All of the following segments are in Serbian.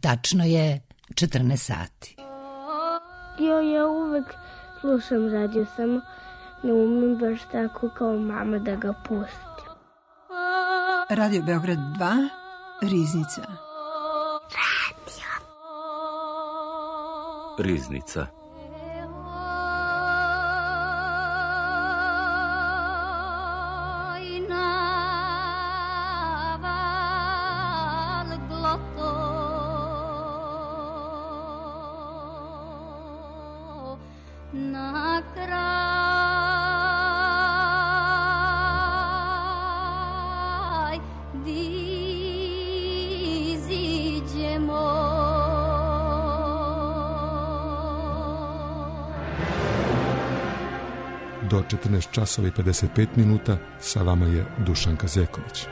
Tačno je 14 sati. Ja uvek slušam radio, samo ne umem baš tako kao mama da ga pustim. Radio Beograd 2, Riznica. Riznica. Do 14 časova i 55 minuta sa vama je Dušanka Zeković.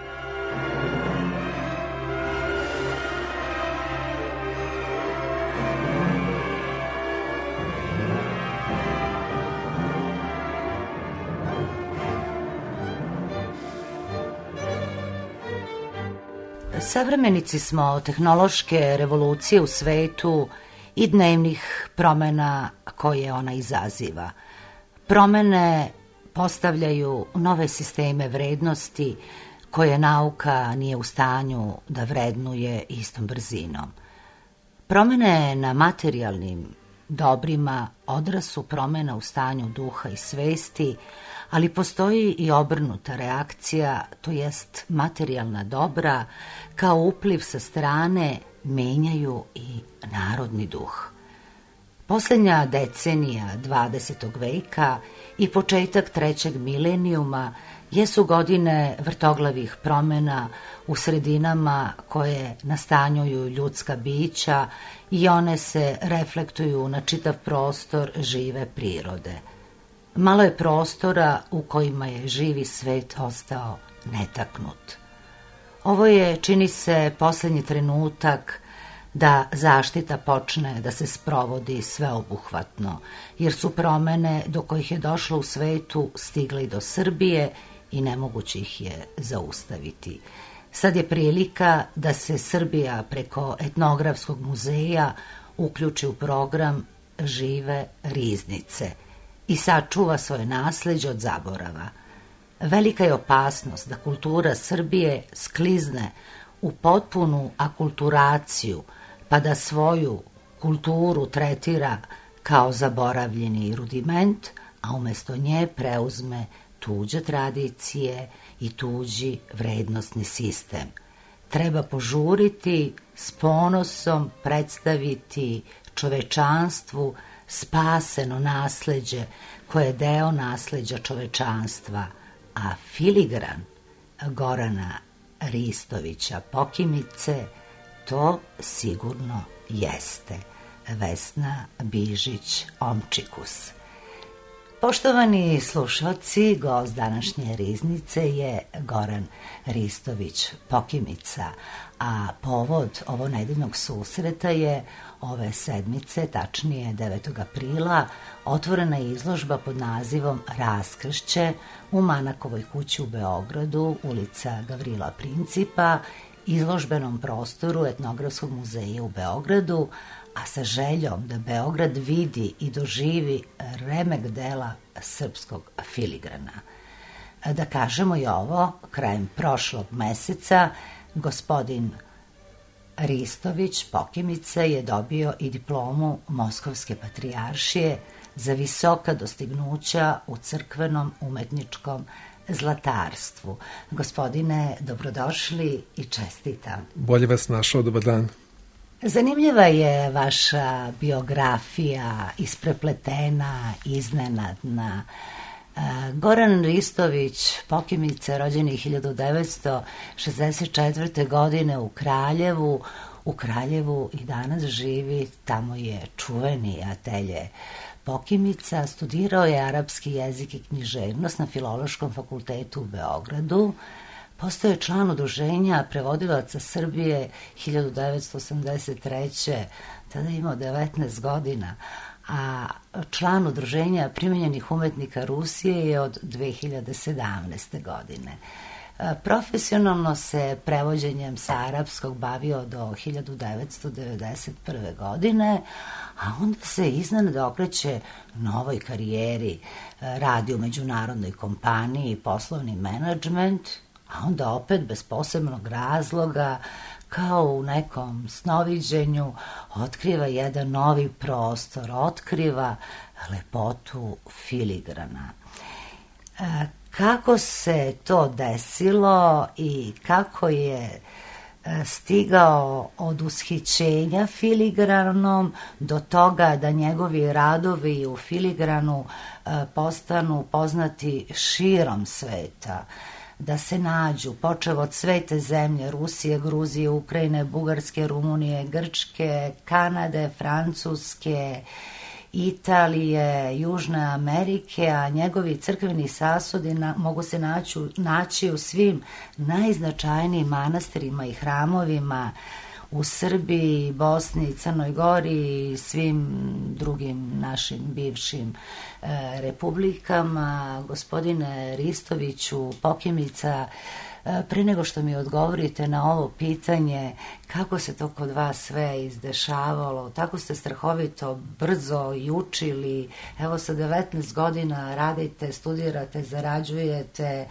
Savremenici smo tehnološke revolucije u svetu i dnevnih promena koje ona izaziva. Promene postavljaju nove sisteme vrednosti koje nauka nije u stanju da vrednuje istom brzinom. Promene na materijalnim dobrima odraz su promena u stanju duha i svesti, ali postoji i obrnuta reakcija, to jest materijalna dobra kao upliv sa strane menjaju i narodni duh. Posljednja decenija 20. veka i početak trećeg milenijuma jesu godine vrtoglavih promjena u sredinama koje nastanjuju ljudska bića i one se reflektuju na čitav prostor žive prirode. Malo je prostora u kojima je živi svet ostao netaknut. Ovo je, čini se, posljednji trenutak da zaštita počne da se sprovodi sveobuhvatno, jer su promene do kojih je došlo u svetu stigle i do Srbije i nemoguće ih je zaustaviti. Sad je prilika da se Srbija preko etnografskog muzeja uključi u program Žive riznice i sačuva svoje nasleđe od zaborava. Velika je opasnost da kultura Srbije sklizne u potpunu akulturaciju, pa da svoju kulturu tretira kao zaboravljeni rudiment, a umjesto nje preuzme tuđe tradicije i tuđi vrednostni sistem. Treba požuriti, s ponosom predstaviti čovečanstvu spaseno nasleđe koje je deo nasleđa čovečanstva, a filigran Gorana Ristovića Pokimice to sigurno jeste. Vesna Bižić-Omčikus. Poštovani slušalci, gost današnje riznice je Goran Ristović Pokimica, a povod ovo nedeljnog susreta je ove sedmice, tačnije 9. aprila, otvorena je izložba pod nazivom Raskršće u Manakovoj kući u Beogradu, ulica Gavrila Principa, izložbenom prostoru Etnografskog muzeja u Beogradu, a sa željom da Beograd vidi i doživi remek dela srpskog filigrana. Da kažemo i ovo, krajem prošlog meseca gospodin Ristović Pokimica je dobio i diplomu Moskovske patrijaršije za visoka dostignuća u crkvenom umetničkom zlatarstvu. Gospodine, dobrodošli i čestitam. Bolje vas našao, dobar dan. Zanimljiva je vaša biografija, isprepletena, iznenadna. Goran Ristović Pokimica, rođen je 1964. godine u Kraljevu. U Kraljevu i danas živi, tamo je čuveni atelje Pokimica. Studirao je arapski jezik i književnost na Filološkom fakultetu u Beogradu. Postao je član udruženja prevodilaca Srbije 1983. Tada je imao 19 godina, a član udruženja primenjenih umetnika Rusije je od 2017. godine. Profesionalno se prevođenjem sa arapskog bavio do 1991. godine, a onda se iznenada okreće novoj karijeri, radi u međunarodnoj kompaniji, poslovni menadžment, a onda opet bez posebnog razloga, kao u nekom snoviđenju, otkriva jedan novi prostor, otkriva lepotu filigrana. Kako se to desilo i kako je stigao od ushićenja filigranom do toga da njegovi radovi u filigranu postanu poznati širom sveta, da se nađu, počev od svete zemlje, Rusije, Gruzije, Ukrajine, Bugarske, Rumunije, Grčke, Kanade, Francuske, Italije, Južne Amerike, a njegovi crkveni sasudi mogu se naći u svim najznačajnijim manastirima i hramovima u Srbiji, Bosni, Crnoj Gori i svim drugim našim bivšim republikama. Gospodine Ristoviću, Pokimica, pre nego što mi odgovorite na ovo pitanje, kako se to kod vas sve izdešavalo, tako ste strahovito brzo i učili, evo sa 19 godina radite, studirate, zarađujete,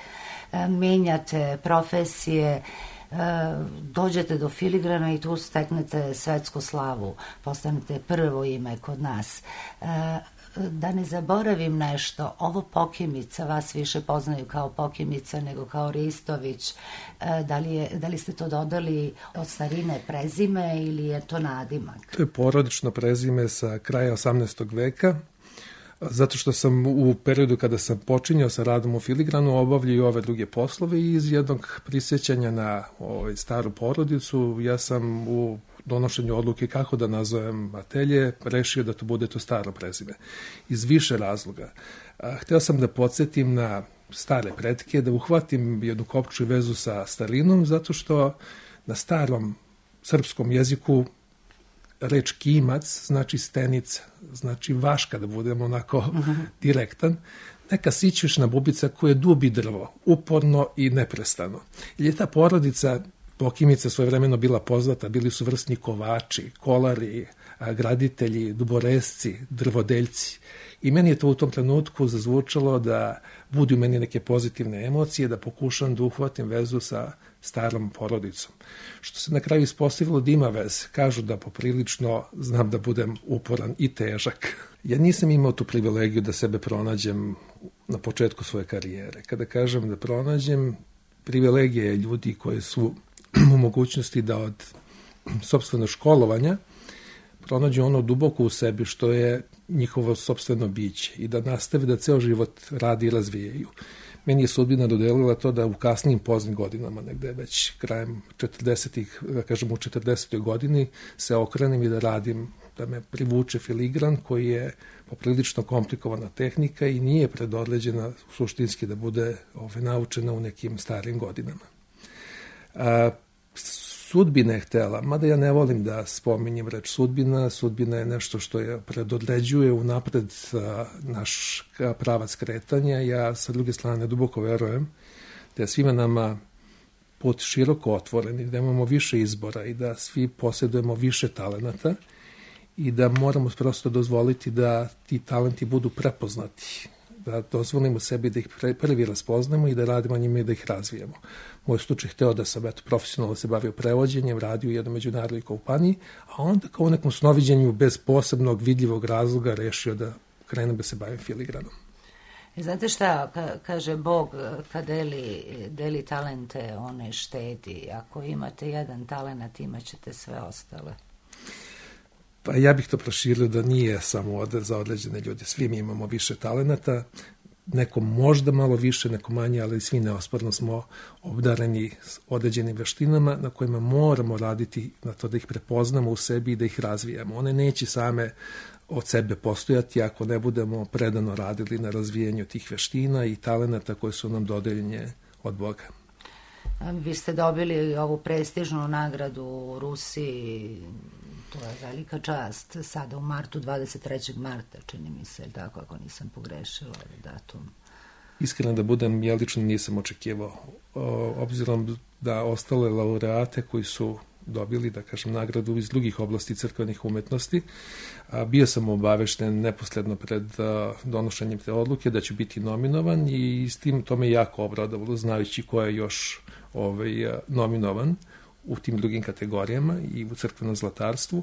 menjate profesije, dođete do filigrana i tu steknete svetsku slavu, postanete prvo ime kod nas. Da ne zaboravim nešto, ovo Pokimica, vas više poznaju kao Pokimica nego kao Ristović. Da li ste to dodali od starine prezime ili je to nadimak? To je porodično prezime sa kraja 18. veka, zato što sam u periodu kada sam počinjao sa radom u filigranu obavljao i ove druge poslove i iz jednog prisjećanja na staru porodicu ja sam u donošenju odluke kako da nazovem atelje, rešio da to bude to staro prezime. Iz više razloga. Hteo sam da podsjetim na stare pretke, da uhvatim jednu kopču i vezu sa starinom, zato što na starom srpskom jeziku reč kimac znači stenica, znači vaška, da budemo onako direktan, neka sićušna bubica koja dubi drvo, uporno i neprestano. Jer je ta porodica Pokimica svojevremeno bila poznata, bili su vrsni kovači, kolari, graditelji, duboresci, drvodeljci. I meni je to u tom trenutku zazvučalo da budi u meni neke pozitivne emocije, da pokušam da uhvatim vezu sa starom porodicom. Što se na kraju ispostavilo da ima veze. Kažu da poprilično znam da budem uporan i težak. Ja nisam imao tu privilegiju da sebe pronađem na početku svoje karijere. Kada kažem da pronađem, privilegija je ljudi koji su u mogućnosti da od sopstvenog školovanja pronađu ono duboko u sebi što je njihovo sopstveno biće i da nastave da ceo život radi i razvijaju. Meni je sudbina dodelila to da u kasnijim poznim godinama, negde već krajem 40-ih, da kažem u 40. godini, se okrenem i da radim, da me privuče filigran koji je poprilično komplikovana tehnika i nije predodređena suštinski da bude naučena u nekim starim godinama. Sudbina je htela, mada ja ne volim da spominjem reč sudbina, sudbina je nešto što je predodređuje unapred naš pravac kretanja. Ja sa druge strane duboko verujem da je svima nama put široko otvoren i da imamo više izbora i da svi posjedujemo više talenata i da moramo prosto dozvoliti da ti talenti budu prepoznati, da dozvolimo sebi da ih prvi raspoznamo i da radimo njima i da ih razvijemo. Moj slučaj hteo da sam profesionalno se bavio prevođenjem, radio u jednoj međunarodnoj kompaniji, a onda kao u nekom snoviđenju bez posebnog vidljivog razloga rešio da krenem da se bavim filigranom. Znate šta, kaže Bog, kad deli talente, on ne štedi. Ako imate jedan talent, imat ćete sve ostale. Pa ja bih to proširio da nije samo za određene ljude. Svi mi imamo više talenata, neko možda malo više, neko manje, ali svi neosporno smo obdareni s određenim veštinama na kojima moramo raditi na to da ih prepoznamo u sebi i da ih razvijamo. One neće same od sebe postojati ako ne budemo predano radili na razvijanju tih veština i talenata koje su nam dodeljene od Boga. Vi ste dobili ovu prestižnu nagradu u Rusiji, to je velika čast, sada u martu, 23. marta, čini mi se, tako ako nisam pogrešila datum. Iskreno da budem, ja lično nisam očekivao obzirom da ostale laureate koji su dobili, da kažem, nagradu iz drugih oblasti crkvenih umetnosti. Bio sam obavešten neposredno pred donošenjem te odluke da ću biti nominovan i s tim to me jako obradovalo, znajući ko je još nominovan u tim drugim kategorijama i u crkvenom zlatarstvu.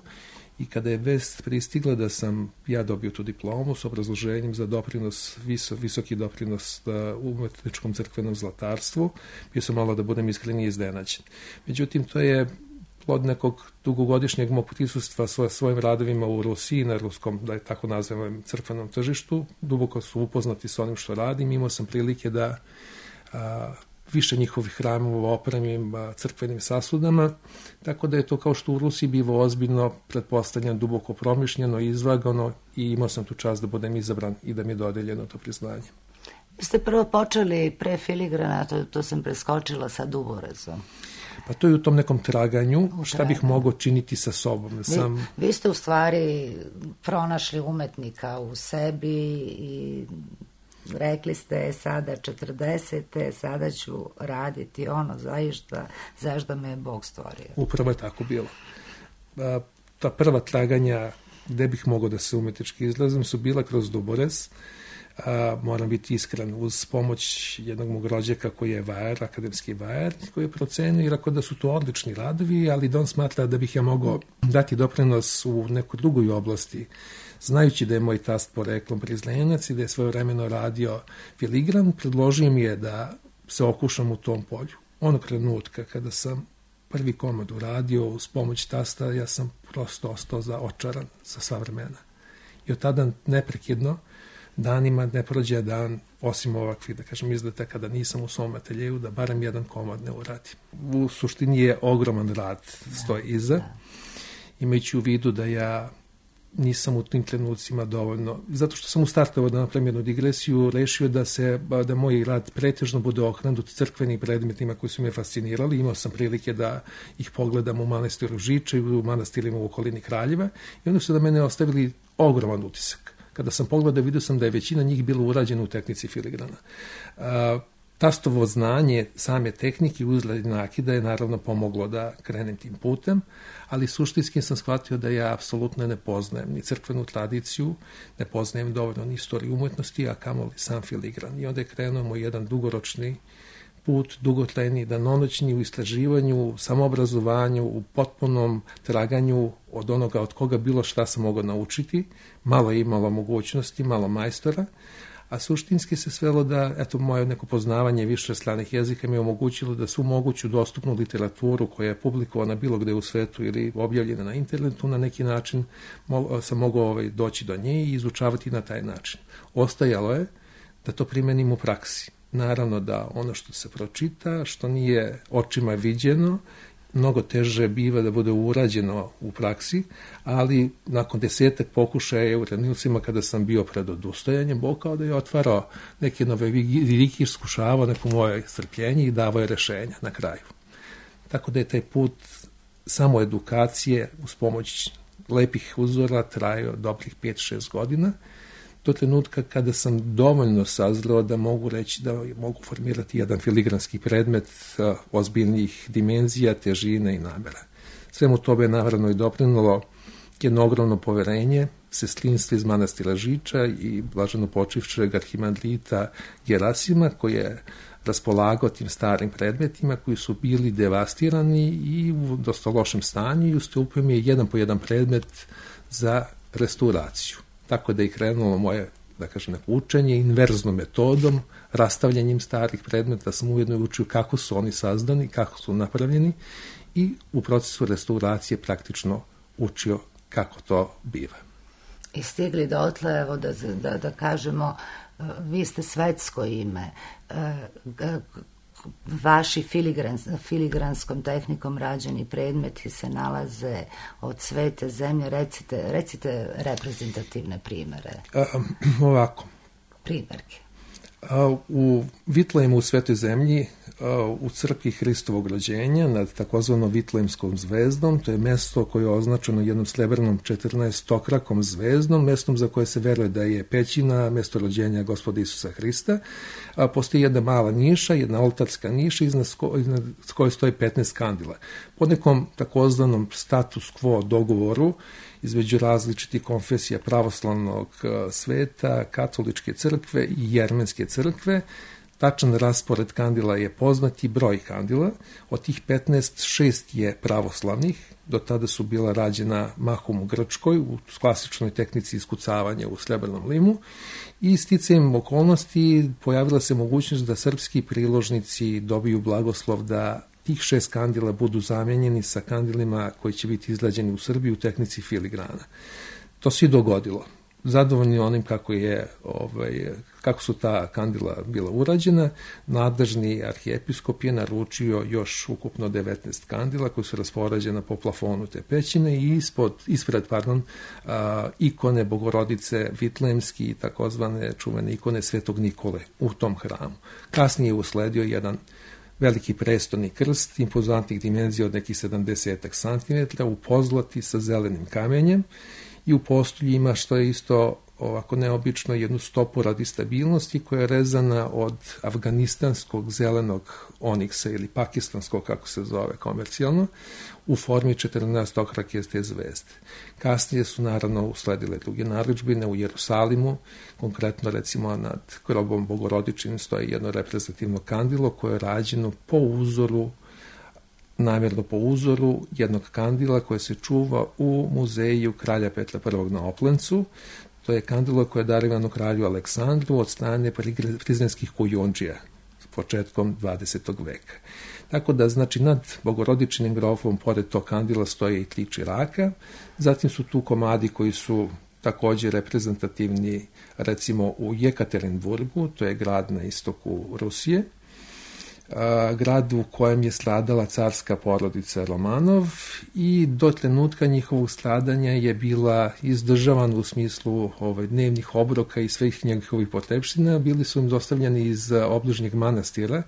I kada je vest pristigla da sam ja dobio tu diplomu s obrazloženjem za doprinos, visoki doprinos u umetničkom crkvenom zlatarstvu, bio sam malo, da budem iskreniji, iznenađen. Međutim, to je plod nekog dugogodišnjeg mog prisustva svojim radovima u Rusiji, na ruskom, da je tako nazvanom, crkvenom tržištu. Duboko su upoznati s onim što radim. Imao sam prilike da više njihovih hramova opremim crkvenim sasudama, tako da je to, kao što u Rusiji biva ozbiljno, pretpostavljeno, duboko promišljeno, izvagano, i imao sam tu čast da budem izabran i da mi je dodeljeno to priznanje. Vi ste prvo počeli pre filigrana, to sam preskočila, sa duborezom. Pa to je u tom nekom traganju, šta bih mogao činiti sa sobom. Vi ste u stvari pronašli umetnika u sebi i rekli ste, sada 40. sada ću raditi ono zašto me je Bog stvorio. Upravo je tako bilo. Ta prva traganja gde bih mogao da se umetnički izlazim su bila kroz duborez. Moram biti iskren, uz pomoć jednog mog rođaka koji je vajar, akademski vajar, koji je procenio i rekao da su to odlični radovi, ali da on smatra da bih ja mogao dati doprinos u nekoj drugoj oblasti, znajući da je moj tast poreklom Prizlenac i da je svojevremeno radio filigran. Predložio mi je da se okušam u tom polju. Onog trenutka kada sam prvi komad uradio uz pomoć tasta, ja sam prosto ostao očaran sa sva vremena. I od tada neprekidno, danima ne prođe dan, osim ovakvih, da kažem, izleta kada nisam u svom ateljeju, da barem jedan komad ne uradim. U suštini je ogroman rad stoji iza, imajući u vidu da ja nisam u tim trenucima dovoljno, zato što sam u startu, da napravim jednu digresiju, rešio da moj rad pretežno bude okrenut crkvenim predmetima koji su me fascinirali. Imao sam prilike da ih pogledam u manastiru Žiče i u manastirima u okolini Kraljeva i oni su da mene ostavili ogroman utisak. Kada sam pogledao, vidio sam da je većina njih bilo urađena u tehnici filigrana. Tastovo znanje same tehnike uzgled nakida je naravno pomoglo da krenem tim putem, ali suštinski sam shvatio da ja apsolutno ne poznajem ni crkvenu tradiciju, ne poznajem dovoljno ni istoriju umetnosti, a kamoli sam filigran. I onda je krenuo moj jedan dugoročni put, dugotrajni, danonoćni, u istraživanju, samoobrazovanju, u potpunom traganju od onoga od koga bilo šta sam mogao naučiti. Malo je imalo mogućnosti, malo majstora, a suštinski se svelo da, eto, moje neko poznavanje više stranih jezika mi je omogućilo da svu moguću dostupnu literaturu koja je publikovana bilo gde u svetu ili objavljena na internetu, na neki način sam mogao doći do nje i izučavati na taj način. Ostajalo je da to primenim u praksi. Naravno da ono što se pročita, što nije očima viđeno, mnogo teže biva da bude urađeno u praksi, ali nakon 10 pokušaja u trenucima kada sam bio pred odustajanjem, Bog kao da je otvarao neke nove vidike, iskušavao neko moje strpljenje i davao je rešenja na kraju. Tako da je taj put samo edukacije uz pomoć lepih uzora trajao dobrih 5-6 godina, do trenutka kada sam dovoljno sazreo da mogu reći da mogu formirati jedan filigranski predmet ozbiljnih dimenzija, težine i namera. Svemu tobe je naravno i doprinalo jedno ogromno poverenje sestrinstva iz manastira Žiča i blaženo počivšeg arhimandrita Gerasima, koji je raspolagao tim starim predmetima koji su bili devastirani i u dosta lošem stanju i ustupio mi je jedan po jedan predmet za restauraciju. Tako da je krenulo moje, da kažem, učenje inverznom metodom, rastavljanjem starih predmeta, sam ujedno učio kako su oni sazdani, kako su napravljeni i u procesu restauracije praktično učio kako to biva. I stigli dotle, evo da vi ste svetsko ime, vaši filigranskom tehnikom rađeni predmeti se nalaze od svete zemlje. Recite reprezentativne primere. Ovako. Primerke. U Vitlejmu u Svetoj zemlji, u crkvi Hristovog rođenja nad takozvanom Vitlejmskom zvezdom, to je mesto koje je označeno jednom srebrnom 14-krakom zvezdom, mestom za koje se veruje da je pećina, mesto rođenja Gospoda Isusa Hrista. Postoji jedna mala niša, jedna oltarska niša iznad koje stoji 15 kandila. Po nekom takozvanom status quo dogovoru između različitih konfesija pravoslavnog sveta, katoličke crkve i jermenske crkve, tačan raspored kandila je poznati broj kandila. Od tih 15, 6 je pravoslavnih. Do tada su bila rađena mahom u Grčkoj, u klasičnoj tehnici iskucavanja u srebrnom limu. I sticajem okolnosti pojavila se mogućnost da srpski priložnici dobiju blagoslov da tih 6 kandila budu zamenjeni sa kandilima koji će biti izrađeni u Srbiji u tehnici filigrana. To se i dogodilo. Zadovoljni onim kako su ta kandila bila urađena, nadležni arhijepiskop je naručio još ukupno 19 kandila koji su raspoređena po plafonu te pećine i ispred ikone Bogorodice Vitlejmski i takozvane čuvene ikone Svetog Nikole u tom hramu. Kasnije je usledio jedan veliki prestolni krst, impozantnih dimenzija od nekih 70 cm u pozlati sa zelenim kamenjem i u postolju ima, što je isto ovako neobično, jednu stopu radi stabilnosti koja je rezana od afganistanskog zelenog oniksa ili pakistanskog, kako se zove komercijalno, u formi 14-okrake te zvezde. Kasnije su naravno usledile druge narudžbine u Jerusalimu, konkretno recimo nad grobom Bogorodičinim stoji jedno reprezentativno kandilo koje je rađeno namjerno po uzoru jednog kandila koje se čuva u muzeju kralja Petra I. na Oplencu. To je kandilo koje je darivano kralju Aleksandru od strane prizrenskih kujundžija s početkom 20. veka. Tako da, znači, nad Bogorodičinim grobom, pored tog kandila, stoje i 3 čiraka. Zatim su tu komadi koji su također reprezentativni, recimo u Jekaterinburgu, to je grad na istoku Rusije, grad u kojem je stradala carska porodica Romanov i do trenutka njihovog stradanja je bila izdržavana u smislu dnevnih obroka i svih njegovih potrebština. Bili su im dostavljeni iz obližnjeg manastira,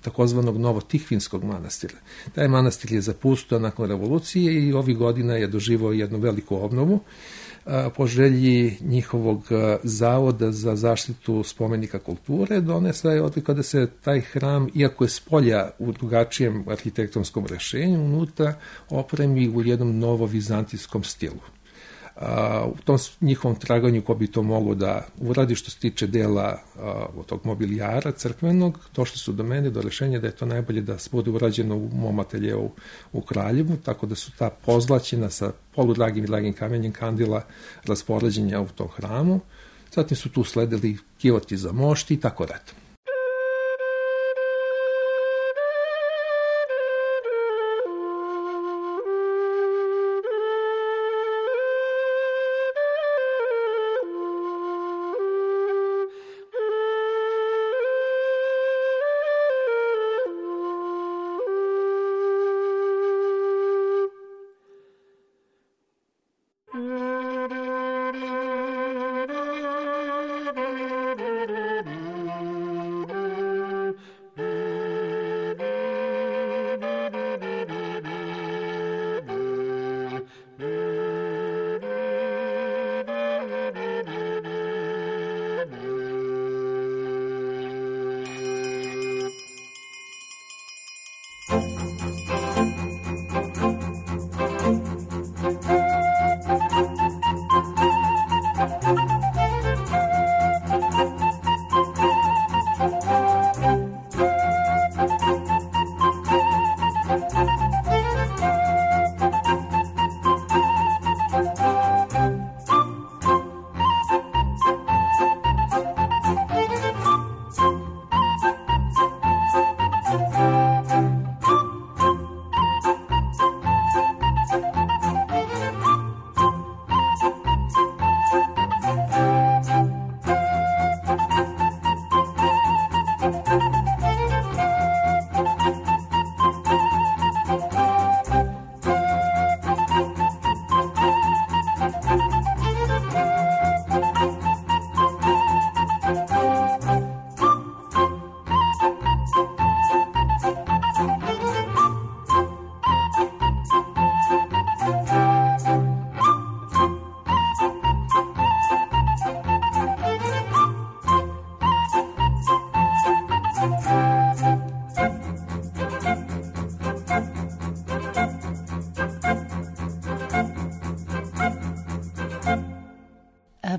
takozvanog Novotihvinskog manastira. Taj manastir je zapustio nakon revolucije i ovih godina je doživao jednu veliku obnovu. Po želji njihovog zavoda za zaštitu spomenika kulture donesa je odluka da se taj hram, iako je spolja u drugačijem arhitektonskom rešenju, unutra opremi u jednom novovizantijskom stilu. U tom njihovom traganju ko bi to mogo da uradi što se tiče dela od tog mobilijara crkvenog, došli su do mene do rešenja da je to najbolje da bude urađeno u mom ateljeu u Kraljevu, tako da su ta pozlaćena sa poludragim i dragim kamenjem kandila raspoređenja u tom hramu. Zatim su tu sledili kivoti za mošti i tako redom.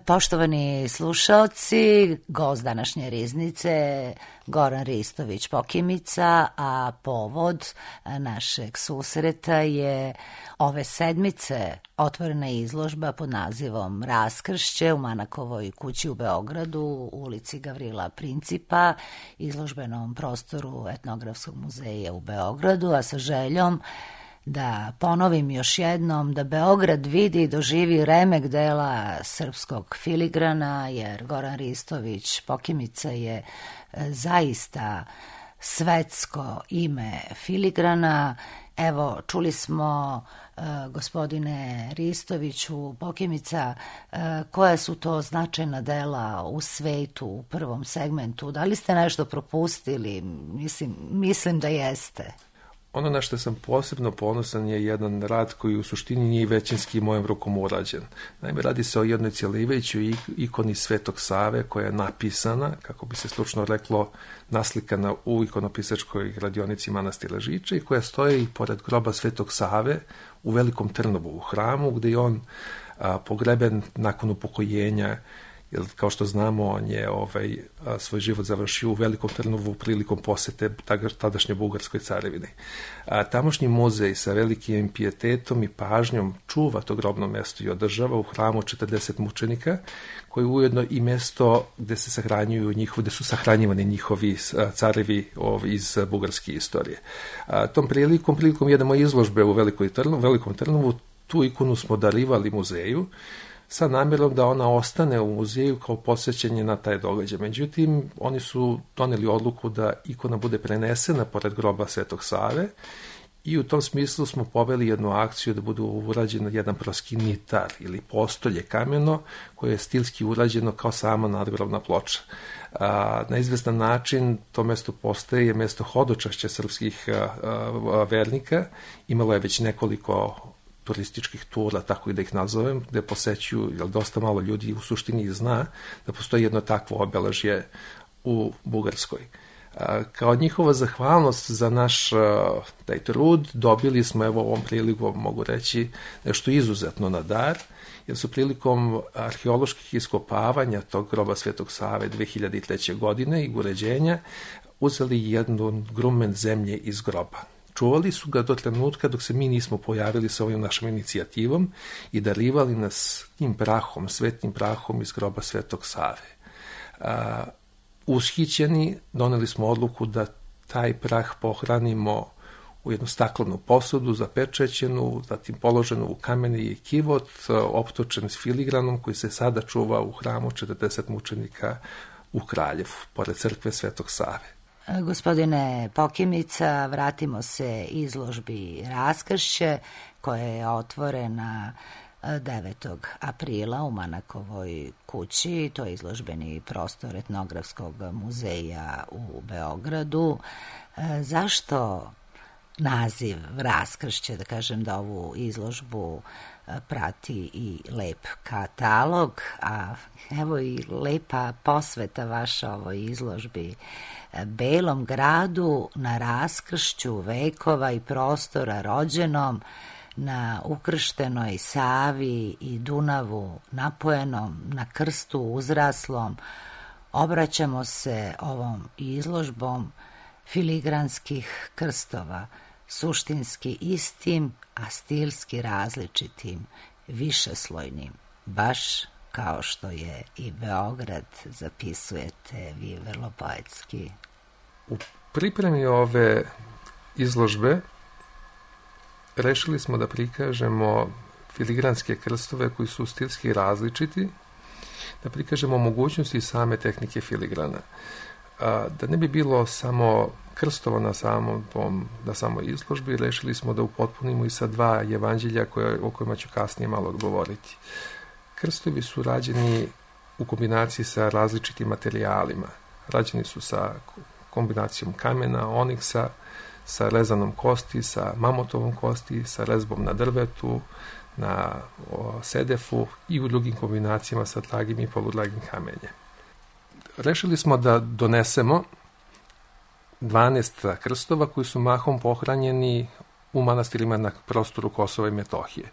Poštovani slušaoci, gost današnje riznice Goran Ristović Pokimica, a povod našeg susreta je ove sedmice otvorena izložba pod nazivom Raskršće u Manakovoj kući u Beogradu, u ulici Gavrila Principa, izložbenom prostoru Etnografskog muzeja u Beogradu, a sa željom da ponovim još jednom da Beograd vidi i doživi remek dela srpskog filigrana, jer Goran Ristović Pokimica je zaista svetsko ime filigrana. Evo, čuli smo, gospodine Ristoviću Pokimica, koja su to značajna dela u svetu u prvom segmentu. Da li ste nešto propustili? Mislim da jeste. Ono na što sam posebno ponosan je jedan rad koji u suštini nije većinski mojom rukom urađen. Naime, radi se o jednoj cjelivećoj ikoni Svetog Save koja je napisana, kako bi se slučno reklo, naslikana u ikonopisačkoj radionici manastira Žiče i koja stoji pored groba Svetog Save u Velikom Trnovu u hramu, gde je on pogreben nakon upokojenja, jer kao što znamo on je svoj život završio u Velikom Trnovu prilikom posete tadašnje Bugarskoj carevini. Tamošnji muzej sa velikim pijetetom i pažnjom čuva to grobno mesto i održava u hramu 40 mučenika, koji je ujedno i mesto gde se gde su sahranjivani njihovi carevi iz bugarske istorije. Tom prilikom jedne moje izložbe u Velikom Trnovu, tu ikonu smo darivali muzeju, sa namjerom da ona ostane u muzeju kao posjećanje na taj događaj. Međutim, oni su doneli odluku da ikona bude prenesena pored groba Svetog Save i u tom smislu smo poveli jednu akciju da bude urađeno jedan proskinitar ili postolje kameno koje je stilski urađeno kao sama nadgrobna ploča. Na izvestan način to mesto postaje mesto hodočašća srpskih vernika. Imalo je već nekoliko turističkih tura, tako i da ih nazovem, gde posećuju, jer dosta malo ljudi u suštini zna da postoji jedno takvo obeležje u Bugarskoj. Kao njihova zahvalnost za naš taj trud, dobili smo, evo ovom prilikom mogu reći, nešto izuzetno na dar, jer su prilikom arheoloških iskopavanja tog groba Svetog Save 2003. godine i uređenja uzeli jednu grumen zemlje iz groba. Čuvali su ga do trenutka dok se mi nismo pojavili sa ovim našom inicijativom i darivali nas tim prahom, svetnim prahom iz groba Svetog Save. Ushićeni, doneli smo odluku da taj prah pohranimo u jednu staklenu posudu, zapečećenu, zatim položenu u kameni kivot, optočen s filigranom koji se sada čuva u hramu 40 mučenika u Kraljevu, pored crkve Svetog Save. Gospodine Pokimica, vratimo se izložbi Raskršće koja je otvorena 9. aprila u Manakovoj kući. To je izložbeni prostor Etnografskog muzeja u Beogradu. Zašto naziv Raskršće, da kažem da ovu izložbu prati i lep katalog, a evo i lepa posveta vaša ovoj izložbi Belom gradu na raskršću vekova i prostora rođenom na ukrštenoj Savi i Dunavu napojenom, na krstu uzraslom, obraćamo se ovom izložbom filigranskih krstova, suštinski istim, a stilski različitim, višeslojnim, baš kao što je i Beograd, zapisujete vi vrlo poetski. U pripremi ove izložbe rešili smo da prikažemo filigranske krstove koji su stilski različiti, da prikažemo mogućnosti same tehnike filigrana. Da ne bi bilo samo krstova na samoj izložbi, rešili smo da upotpunimo i sa 2 evanđelja o kojima ću kasnije malo govoriti. Krstovi su rađeni u kombinaciji sa različitim materijalima. Rađeni su sa kombinacijom kamena, oniksa, sa rezanom kosti, sa mamutovom kosti, sa rezbom na drvetu, na sedefu i u drugim kombinacijama sa dragim i poludragim kamenjem. Rešili smo da donesemo 12 krstova koji su mahom pohranjeni u manastirima na prostoru Kosova i Metohije.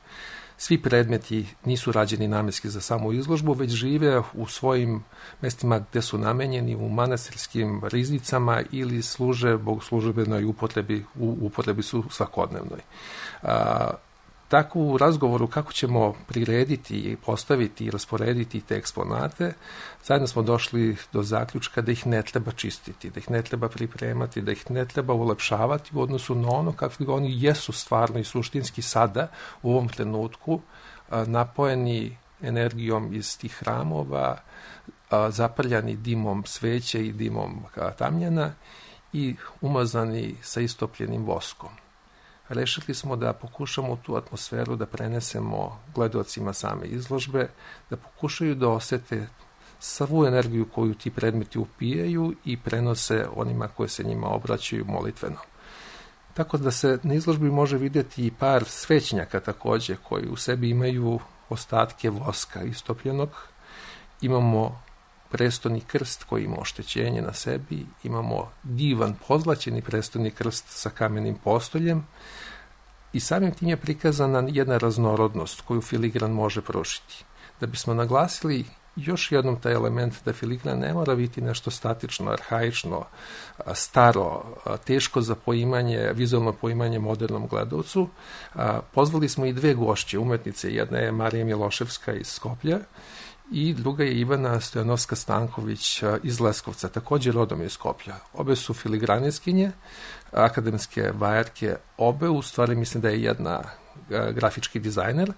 svi predmeti nisu rađeni namenski za samu izložbu, već žive u svojim mestima gde su namenjeni, u manastirskim riznicama ili služe bogoslužbenoj upotrebi, u upotrebi su svakodnevnoj. Tako u razgovoru kako ćemo prirediti, postaviti i rasporediti te eksponate, zajedno smo došli do zaključka da ih ne treba čistiti, da ih ne treba pripremati, da ih ne treba ulepšavati u odnosu na ono kakvi oni jesu stvarno i suštinski sada u ovom trenutku, napojeni energijom iz tih hramova, zaprljani dimom sveće i dimom tamjana i umazani sa istopljenim voskom. Rešili smo da pokušamo tu atmosferu da prenesemo gledaocima same izložbe, da pokušaju da osete svu energiju koju ti predmeti upijaju i prenose onima koji se njima obraćaju molitveno. Tako da se na izložbi može vidjeti i par svećnjaka takođe koji u sebi imaju ostatke voska istopljenog. Imamo prestoni krst koji ima oštećenje na sebi, imamo divan pozlaćeni prestoni krst sa kamenim postoljem i samim tim je prikazana jedna raznorodnost koju filigran može pružiti. Da bismo naglasili još jednom taj element da filigran ne mora biti nešto statično, arhaično, staro, teško za poimanje, vizualno poimanje modernom gledalcu, pozvali smo i dve gošće umetnice, jedna je Marija Miloševska iz Skoplja i druga je Ivana Stojanovska-Stanković iz Leskovca, također rodom iz Skoplja. Obe su filigraniskinje, akademske vajarke, obe, u stvari mislim da je jedna grafički dizajner,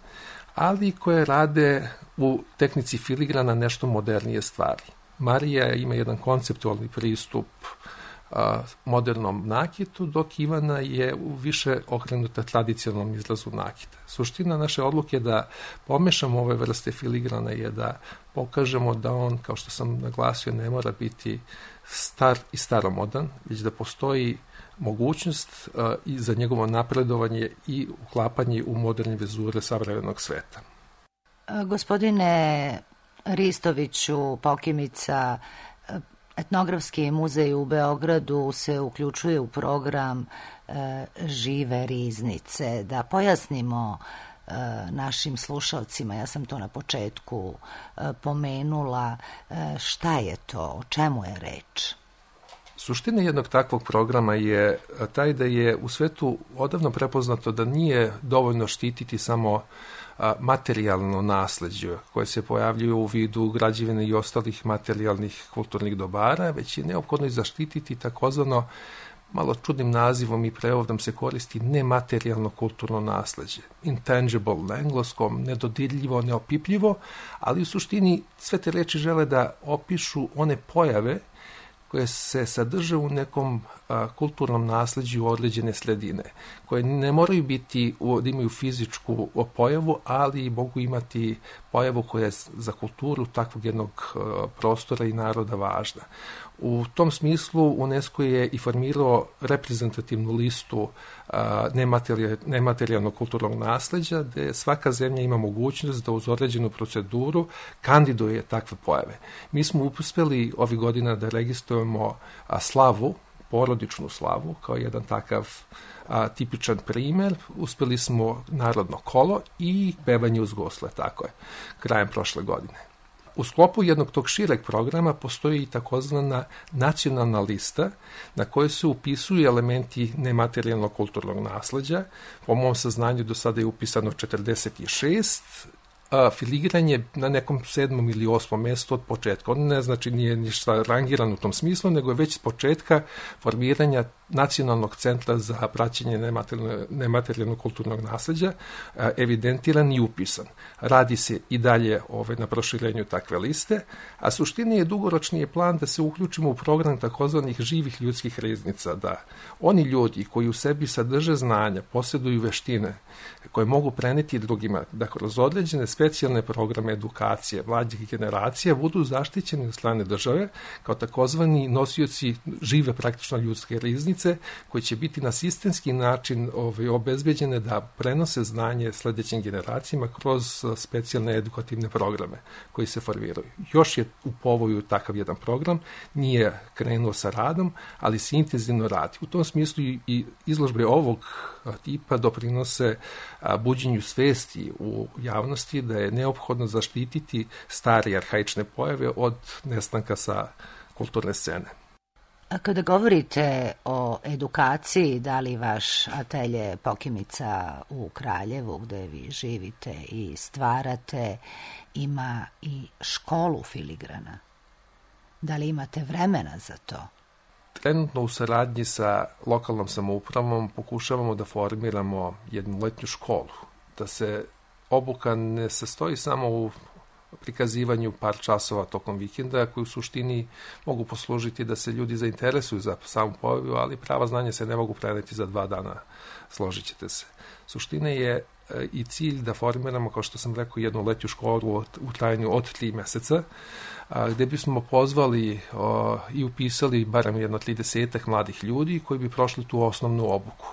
ali koje rade u tehnici filigrana nešto modernije stvari. Marija ima jedan konceptualni pristup modernom nakitu, dok Ivana je više okrenuta tradicionalnom izrazu nakita. Suština naše odluke je da pomešamo ove vrste filigrana je da pokažemo da on, kao što sam naglasio, ne mora biti star i staromodan, već da postoji mogućnost i za njegovo napredovanje i uklapanje u moderne vizure savremenog sveta. Gospodine Ristoviću, Pokimica, Etnografski muzej u Beogradu se uključuje u program Žive riznice. Da pojasnimo našim slušalcima, ja sam to na početku pomenula, šta je to, o čemu je reč? Suština jednog takvog programa je taj da je u svetu odavno prepoznato da nije dovoljno štititi samo materijalno nasleđe koje se pojavljuju u vidu građevine i ostalih materijalnih kulturnih dobara, već je neophodno i zaštititi takozvano, malo čudnim nazivom i prevodom se koristi, nematerijalno kulturno nasleđe. Intangible na engleskom, nedodirljivo, neopipljivo, ali u suštini sve te reči žele da opišu one pojave koje se sadrže u nekom kulturnom nasleđu određene sredine, koje ne moraju biti, da imaju fizičku pojavu, ali mogu imati pojavu koja je za kulturu takvog jednog prostora i naroda važna. U tom smislu UNESCO je i formirao reprezentativnu listu nematerijalnog kulturnog nasleđa, gde svaka zemlja ima mogućnost da uz određenu proceduru kandiduje takve pojave. Mi smo uspeli ovih godina da registrujemo slavu, porodičnu slavu, kao jedan takav tipičan primer. Uspeli smo narodno kolo i pevanje uz gusle, tako je, krajem prošle godine. U sklopu jednog tog šireg programa postoji i takozvana nacionalna lista na kojoj se upisuju elementi nematerijalnog kulturnog nasleđa. Po mom saznanju do sada je upisano 46, filigran je na nekom 7. ili 8. mestu od početka. On ne znači nije ništa rangiran u tom smislu, nego je već s početka formiranja Nacionalnog centra za praćenje nematerijalnog kulturnog nasleđa evidentiran i upisan. Radi se i dalje na proširenju takve liste, a suština je dugoročni plan da se uključimo u program takozvanih živih ljudskih riznica, da oni ljudi koji u sebi sadrže znanja, posjeduju veštine koje mogu preneti drugima, da kroz određene specijalne programe edukacije mlađih generacija budu zaštićeni od strane države kao takozvani nosioci žive praktično ljudske riznice, radionice koje će biti na sistemski način obezbeđene da prenose znanje sledećim generacijama kroz specijalne edukativne programe koji se formiraju. Još je u povoju takav jedan program, nije krenuo sa radom, ali se intenzivno radi. U tom smislu i izložbe ovog tipa doprinose buđenju svesti u javnosti da je neophodno zaštititi stare arhaične pojave od nestanka sa kulturne scene. A kada govorite o edukaciji, da li vaš atelje Pokimica u Kraljevu, gde vi živite i stvarate, ima i školu filigrana? Da li imate vremena za to? Trenutno u saradnji sa lokalnom samoupravom pokušavamo da formiramo jednu letnju školu, da se obuka ne sastoji samo u prikazivanju par časova tokom vikenda, koji u suštini mogu poslužiti da se ljudi zainteresuju za samu pojavu, ali prava znanja se ne mogu preneti za 2 dana, složit ćete se. Suština je i cilj da formiramo, kao što sam rekao, jednu letnju školu u trajanju od 3 meseca, gde bismo pozvali i upisali barem jedno 30 mladih ljudi koji bi prošli tu osnovnu obuku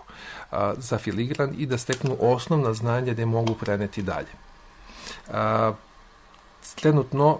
za filigran i da steknu osnovna znanja da je mogu preneti dalje. Trenutno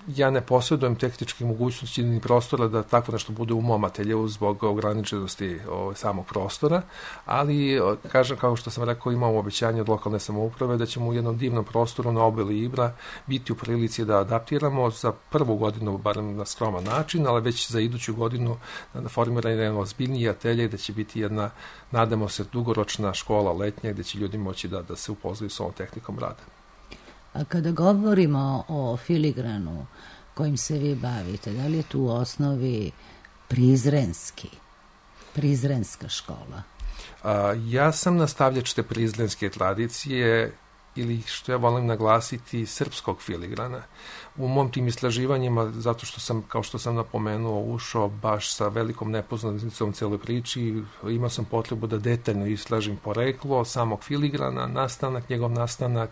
ja ne posjedujem tehničke mogućnosti ni prostora da tako nešto bude u mom ateljevu zbog ograničenosti samog prostora, ali kažem, kao što sam rekao, imamo obećanje od lokalne samouprave da ćemo u jednom divnom prostoru na obali Ibra biti u prilici da adaptiramo za prvu godinu, barem na skroman način, ali već za iduću godinu da formiramo jedan ozbiljniji atelje da će biti jedna, nadamo se, dugoročna škola letnja gde će ljudi moći da se upoznaju s ovom tehnikom rada. A kada govorimo o filigranu kojim se vi bavite, da li je tu u osnovi prizrenska škola? Ja sam nastavljač te prizrenske tradicije ili, što ja volim naglasiti, srpskog filigrana. U mom tim istraživanjima, zato što sam, kao što sam napomenuo, ušao baš sa velikom nepoznanicom celoj priči, imao sam potrebu da detaljno istražim poreklo samog filigrana, njegov nastanak,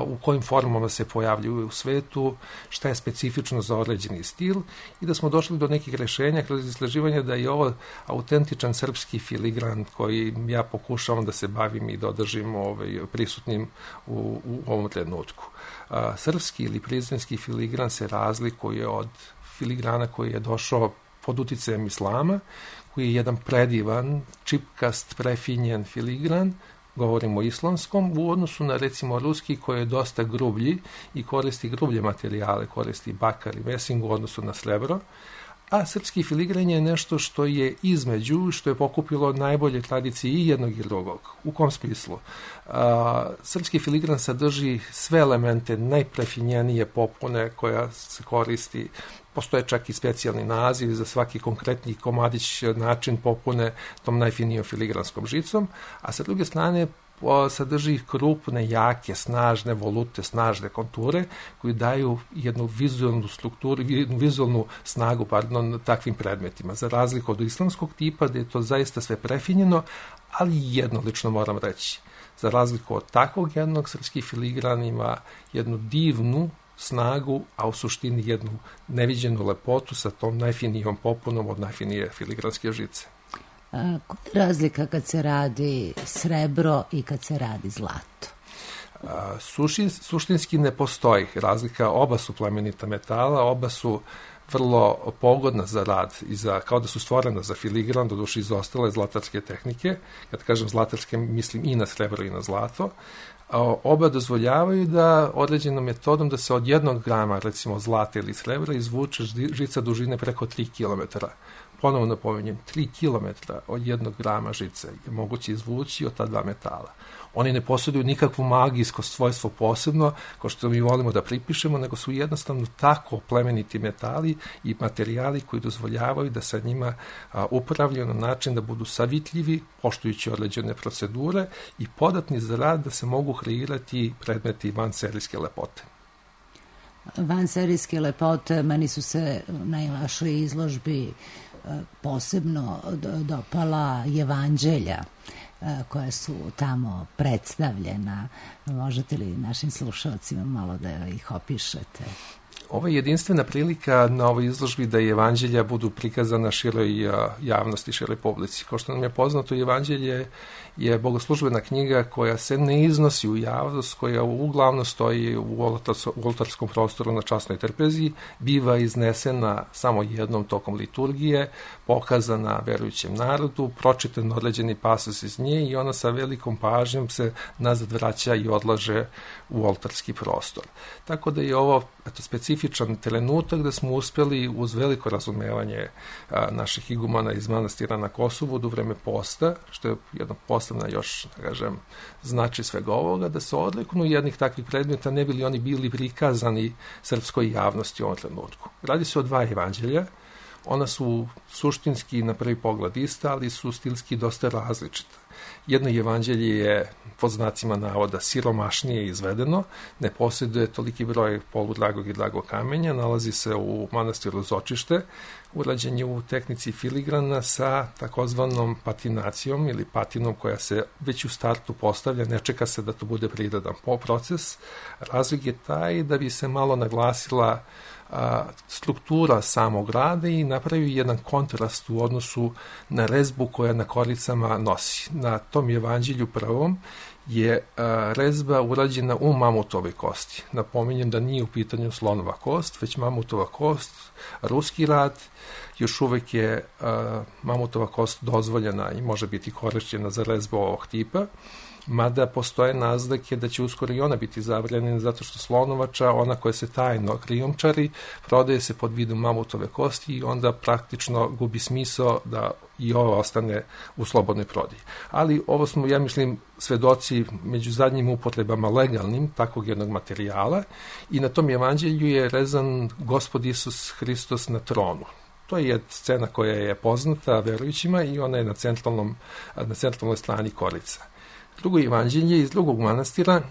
u kojim formama se pojavljuju u svetu, šta je specifično za određeni stil i da smo došli do nekih rešenja kroz istraživanje da je ovo autentičan srpski filigran koji ja pokušavam da se bavim i da održim prisutnim u ovom trenutku. Srpski ili prizrenski filigran se razlikuje od filigrana koji je došao pod uticajem islama, koji je jedan predivan, čipkast, prefinjen filigran, govorimo o islamskom, u odnosu na, recimo, ruski koji je dosta grublji i koristi grublje materijale, koristi bakar i mesing u odnosu na srebro, a srpski filigran je nešto što je između, što je pokupilo najbolje tradicije i jednog i drugog. U kom smislu? Srpski filigran sadrži sve elemente najprefinjenije popune koja se koristi. Postoje čak i specijalni naziv za svaki konkretni komadić, način popune tom najfinijom filigranskom žicom, a sa druge strane sadrži krupne, jake, snažne volute, snažne konture koji daju jednu vizualnu strukturu, jednu vizualnu snagu, takvim predmetima. Za razliku od islamskog tipa, gde je to zaista sve prefinjeno, ali jednolično moram reći. Za razliku od takvog jednog, srpski filigran ima jednu divnu snagu, a u suštini jednu neviđenu lepotu sa tom najfinijom popunom od najfinije filigranske žice. Koja je razlika kad se radi srebro i kad se radi zlato? Suštinski ne postoji razlika, oba su plemenita metala, oba su vrlo pogodna za rad, kao da su stvorena za filigran, doduše iz ostale zlatarske tehnike. Kad kažem zlatarske, mislim i na srebro i na zlato. Oba dozvoljavaju da određenom metodom da se od 1 grama, recimo zlata ili srebra, izvuče žica dužine preko 3 km. Ponovo napominjem, 3 km od 1 grama žice je moguće izvući od ta 2 metala. Oni ne posjeduju nikakvu magijsko svojstvo posebno, kao što mi volimo da pripišemo, nego su jednostavno tako plemeniti metali i materijali koji dozvoljavaju da sa njima upravljaju na način da budu savitljivi, poštujući određene procedure i podatni za rad da se mogu kreirati predmeti vanserijske lepote. Vanserijske lepote, meni su se na vašoj izložbi posebno dopala evanđelja koja su tamo predstavljena. Možete li našim slušalcima malo da ih opišete? Ovo je jedinstvena prilika na ovoj izložbi da evanđelja budu prikazana široj javnosti, široj publici. Kao što nam je poznato, evanđelje je bogoslužbena knjiga koja se ne iznosi u javnost, koja uglavnom stoji u oltarskom prostoru na časnoj trpezi, biva iznesena samo jednom tokom liturgije, pokazana verujućem narodu, pročitan određeni pasus iz nje i ona sa velikom pažnjom se nazad vraća i odlaže u oltarski prostor. Tako da je ovo specifičan trenutak da smo uspeli uz veliko razumevanje naših igumana iz manastira na Kosovu u vreme posta, što je jedna posebna još, da kažem, znači svega ovoga, da se odliknu jednih takvih predmeta, ne bi li oni bili prikazani srpskoj javnosti u ovom trenutku. Radi se o dva evanđelja, ona su suštinski na prvi pogled ista, ali su stilski dosta različita. Jedno evanđelje je, pod znacima navoda, siromašnije izvedeno, ne posjeduje toliki broj poludragog i dragog kamenja, nalazi se u manastiru Zočište, urađen je u tehnici filigrana sa takozvanom patinacijom ili patinom koja se već u startu postavlja, ne čeka se da to bude prirodan proces. Razlog je taj da bi se malo naglasila struktura samog rada i napravio jedan kontrast u odnosu na rezbu koja na koricama nosi. Na tom evanđelju prvom je rezba urađena u mamutovoj kosti. Napominjem da nije u pitanju slonova kost, već mamutova kost, ruski rad. Još uvek je mamutova kost dozvoljena i može biti korišćena za rezbu ovog tipa, mada postoje naznake da će uskoro i ona biti zabranjena zato što slonovača, ona koja se tajno krijumčari, prodaje se pod vidom mamutove kosti i onda praktično gubi smisao da i ova ostane u slobodnoj prodaji. Ali ovo smo, ja mislim, svedoci među zadnjim upotrebama legalnim takvog jednog materijala i na tom evanđelju je rezan Gospod Isus Hristos na tronu. To je scena koja je poznata verujućima i ona je na centralnoj strani korica. Drugo evanđelje iz drugog manastira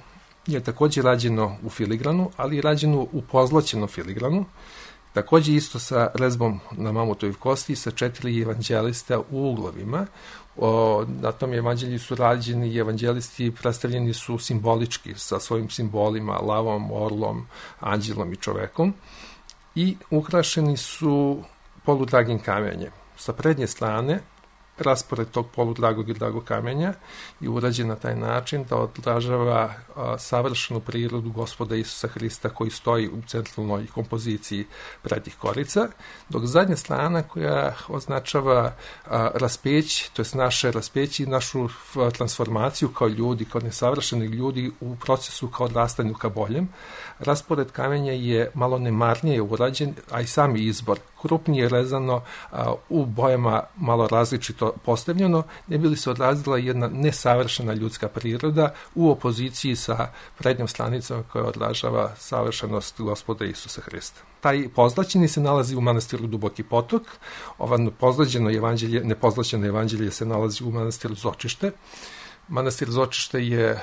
je takođe rađeno u filigranu, ali je rađeno u pozlaćenom filigranu, takođe isto sa rezbom na mamutovoj kosti sa 4 evanđelista u uglovima. Na tom evanđelju su rađeni evanđelisti, predstavljeni su simbolički sa svojim simbolima, lavom, orlom, anđelom i čovekom i ukrašeni su poludragim kamenjem. Sa prednje strane raspored tog poludragog i dragog kamenja je urađen na taj način da odražava savršenu prirodu Gospoda Isusa Hrista koji stoji u centralnoj kompoziciji prednjih korica, dok zadnja strana koja označava raspeće, to je naše raspeće i našu transformaciju kao ljudi, kao nesavršeni ljudi u procesu kao odrastanju ka boljem. Raspored kamenja je malo nemarnije urađen, a i sami izbor krupnije rezano, u bojama malo različito postavljeno, ne bi li se odrazila jedna nesavršena ljudska priroda u opoziciji sa prednjom stranicom koja odražava savršenost Gospoda Isusa Hrista. Taj pozlaćeni se nalazi u manastiru Duboki potok, ovo nepozlaćeno evanđelje se nalazi u manastiru Zočište. Manastir Zočište je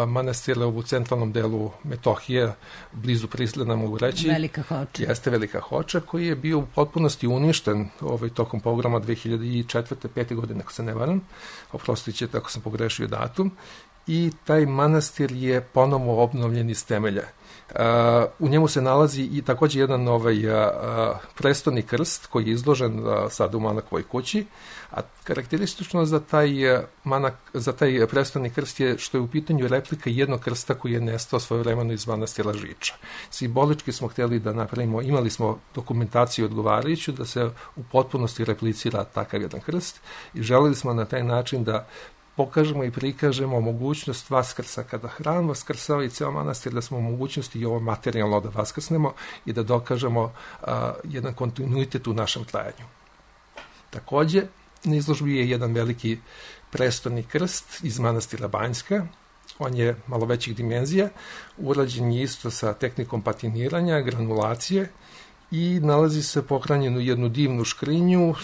manastir u centralnom delu Metohije, blizu Prizrena, mogu reći. Velika Hoča. Jeste Velika Hoča, koji je bio u potpunosti uništen tokom pogroma 2004-2005. godine, ako se ne varam. Oprostit ćete ako sam pogrešio datum. I taj manastir je ponovo obnovljen iz temelja. U njemu se nalazi i takođe jedan prestoni krst koji je izložen sad u Manakovoj kući, a karakteristično za taj prestoni krst je što je u pitanju replika jednog krsta koji je nestao svojevremeno iz manastira Žiča. Simbolički smo hteli da napravimo, imali smo dokumentaciju odgovarajuću da se u potpunosti replicira takav jedan krst i želeli smo na taj način da pokažemo i prikažemo mogućnost vaskrsa. Kada hram vaskrsava i ceo manastir, da smo u mogućnosti i ovo materijalno da vaskrsnemo i da dokažemo jedan kontinuitet u našem trajanju. Takođe, na izložbi je jedan veliki prestoni krst iz manastira Banjska. On je malo većih dimenzija, urađen je isto sa tehnikom patiniranja, granulacije i nalazi se pohranjen u jednu divnu škrinju,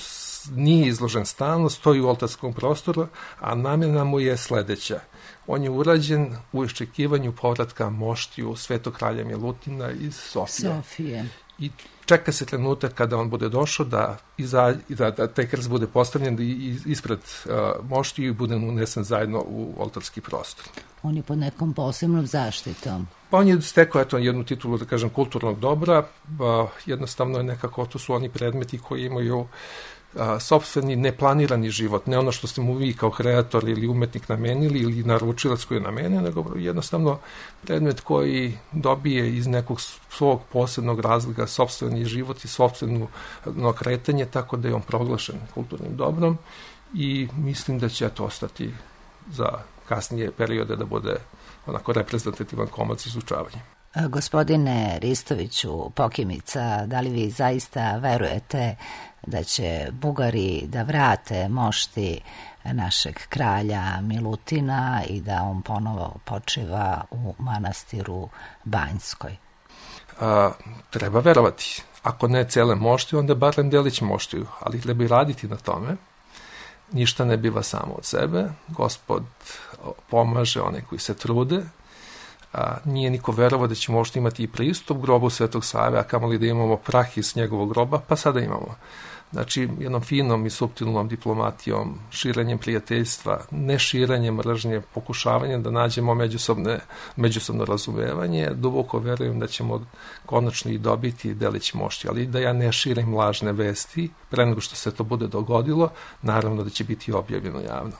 nije izložen stalno, stoji u oltarskom prostoru, a namjena mu je sledeća. On je urađen u iščekivanju povratka moštiju Svetog kralja Milutina iz Sofije. I čeka se trenutak kada on bude došao da taj krst bude postavljen ispred moštiju i bude unesen zajedno u oltarski prostor. on je pod nekom posebnom zaštitom. Pa on je stekao jednu titulu, da kažem, kulturnog dobra, jednostavno je nekako, to su oni predmeti koji imaju sopstveni neplanirani život, ne ono što ste mu vi kao kreator ili umetnik namenili ili naručilac koji je namenio, nego jednostavno predmet koji dobije iz nekog svog posebnog razloga sopstveni život i sopstveno kretanje, tako da je on proglašen kulturnim dobrom i mislim da će to ostati za kasnije periode da bude onako reprezentativan komad izučavanja. Gospodine Ristoviću Pokimica, da li vi zaista verujete da će Bugari da vrate mošti našeg kralja Milutina i da on ponovo počiva u manastiru Banjskoj? Treba verovati. Ako ne cele mošti, onda barem delić moštiju, ali treba i raditi na tome. Ništa ne biva samo od sebe. Gospod pomaže one koji se trude. Nije niko verovao da ćemo možda imati i pristup grobu Svetog Save, a kamoli da imamo prah iz njegovog groba, pa sada imamo. Znači, jednom finom i suptilnom diplomatijom, širenjem prijateljstva, ne širenjem mržnje, pokušavanjem da nađemo međusobno razumevanje, duboko verujem da ćemo konačno i dobiti delić mošti, ali da ja ne širim lažne vesti, pre nego što se to bude dogodilo, naravno da će biti objavljeno javno.